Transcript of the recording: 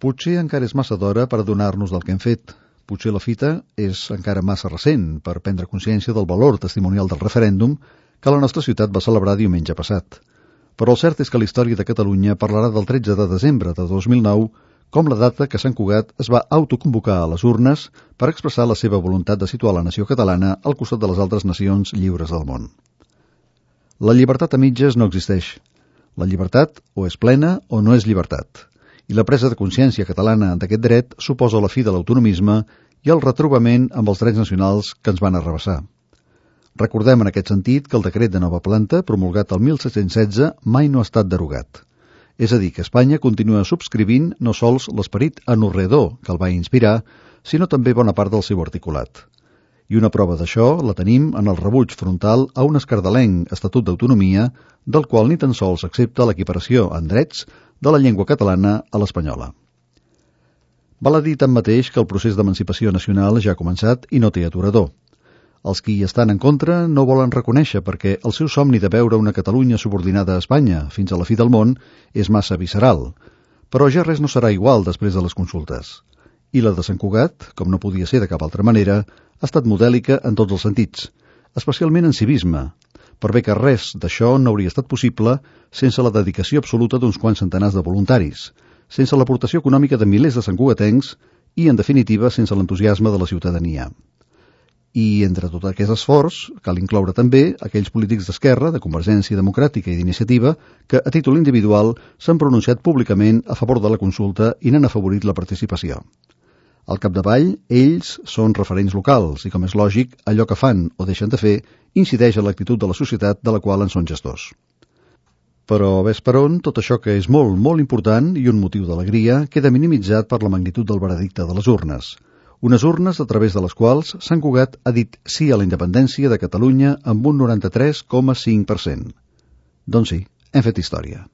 Potser encara és massa d'hora per adonar-nos del que hem fet. Potser la fita és encara massa recent per prendre consciència del valor testimonial del referèndum que la nostra ciutat va celebrar diumenge passat. Però el cert és que la història de Catalunya parlarà del 13 de desembre de 2009 com la data que Sant Cugat es va autoconvocar a les urnes per expressar la seva voluntat de situar la nació catalana al costat de les altres nacions lliures del món. La llibertat a mitges no existeix. La llibertat o és plena o no és llibertat. I la presa de consciència catalana d'aquest dret suposa la fi de l'autonomisme i el retrobament amb els drets nacionals que ens van arrabassar. Recordem en aquest sentit que el decret de nova planta, promulgat el 1716, mai no ha estat derogat. És a dir, que Espanya continua subscrivint no sols l'esperit anorreador que el va inspirar, sinó també bona part del seu articulat. I una prova d'això la tenim en el rebuig frontal a un escardalenc Estatut d'Autonomia, del qual ni tan sols accepta l'equiparació en drets de la llengua catalana a l'espanyola. Val a dir tanmateix que el procés d'emancipació nacional ja ha començat i no té aturador. Els qui hi estan en contra no volen reconèixer perquè el seu somni de veure una Catalunya subordinada a Espanya fins a la fi del món és massa visceral, però ja res no serà igual després de les consultes. I la de Sant Cugat, com no podia ser de cap altra manera, ha estat modèlica en tots els sentits, especialment en civisme, per bé que res d'això no hauria estat possible sense la dedicació absoluta d'uns quants centenars de voluntaris, sense l'aportació econòmica de milers de santcugatencs i, en definitiva, sense l'entusiasme de la ciutadania. I entre tot aquest esforç cal incloure també aquells polítics d'esquerra, de Convergència Democràtica i d'Iniciativa que, a títol individual, s'han pronunciat públicament a favor de la consulta i n'han afavorit la participació. Al capdavall, ells són referents locals i, com és lògic, allò que fan o deixen de fer incideix en l'actitud de la societat de la qual en són gestors. Però, ves per on, tot això que és molt, molt important i un motiu d'alegria queda minimitzat per la magnitud del veredicte de les urnes. Unes urnes a través de les quals Sant Cugat ha dit sí a la independència de Catalunya amb un 93,5%. Doncs sí, hem fet història.